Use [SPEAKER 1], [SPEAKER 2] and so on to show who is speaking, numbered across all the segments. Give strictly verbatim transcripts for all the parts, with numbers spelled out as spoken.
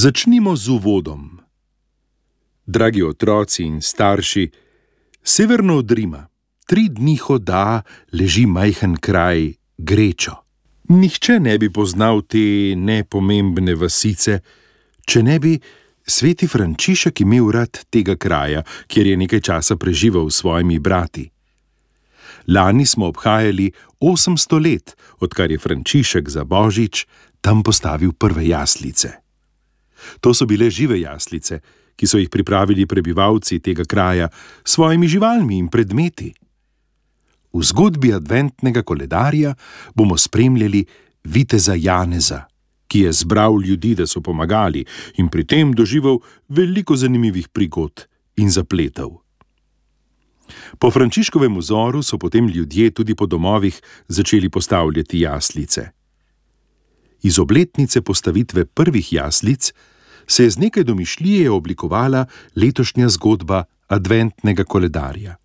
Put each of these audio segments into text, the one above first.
[SPEAKER 1] Začnimo z uvodom. Dragi otroci in starši, severno od Rima, tri dni hoda, leži majhen kraj Grečo. Nihče ne bi poznal te nepomembne vasice, če ne bi sveti Frančišek imel rad tega kraja, kjer je nekaj časa preživel s svojimi brati. Lani smo obhajali osemsto let, odkar je Frančišek za Božič tam postavil prve jaslice. To so bile žive jaslice, ki so jih pripravili prebivalci tega kraja s svojimi živalmi in predmeti. V zgodbi adventnega koledarja bomo spremljali viteza Janeza, ki je zbral ljudi, da so pomagali, in pri tem doživel veliko zanimivih prigod in zapletov. Po Frančiškovem vzoru so potem ljudje tudi po domovih začeli postavljati jaslice. Iz obletnice postavitve prvih jaslic se je z nekaj domišljije oblikovala letošnja zgodba adventnega koledarja.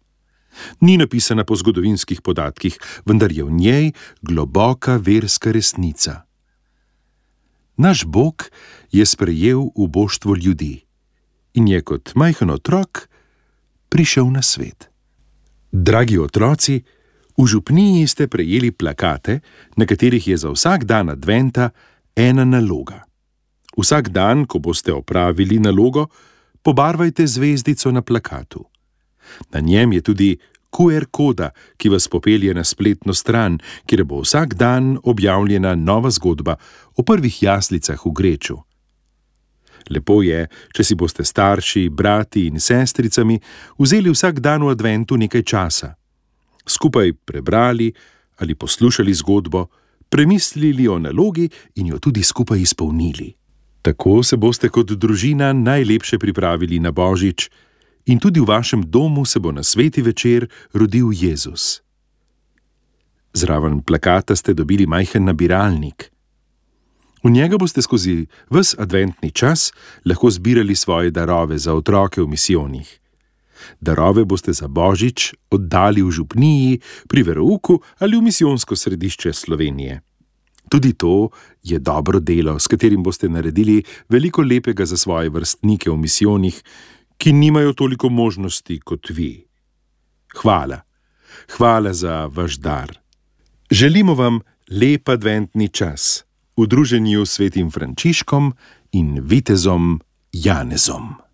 [SPEAKER 1] Ni napisana po zgodovinskih podatkih, vendar je v njej globoka verska resnica. Naš Bog je sprejel uboštvo ljudi in je kot majhen otrok prišel na svet. Dragi otroci, v župniji ste prejeli plakate, na katerih je za vsak dan adventa ena naloga. Vsak dan, ko boste opravili nalogo, pobarvajte zvezdico na plakatu. Na njem je tudi Q R koda, ki vas popelje na spletno stran, kjer bo vsak dan objavljena nova zgodba o prvih jaslicah v Greču. Lepo je, če si boste starši, brati in sestricami vzeli vsak dan v adventu nekaj časa. Skupaj prebrali ali poslušali zgodbo, premislili o nalogi in jo tudi skupaj izpolnili. Tako se boste kot družina najlepše pripravili na Božič in tudi v vašem domu se bo na sveti večer rodil Jezus. Zraven plakata ste dobili majhen nabiralnik. V njega boste skozi ves adventni čas lahko zbirali svoje darove za otroke v misijonih. Darove boste za Božič oddali v župniji, pri verouku ali v misijonsko središče Slovenije. Tudi to je dobro delo, s katerim boste naredili veliko lepega za svoje vrstnike v misijonih, ki nimajo toliko možnosti kot vi. Hvala. Hvala za vaš dar. Želimo vam lep adventni čas v druženju s svetim Frančiškom in vitezom Janezom.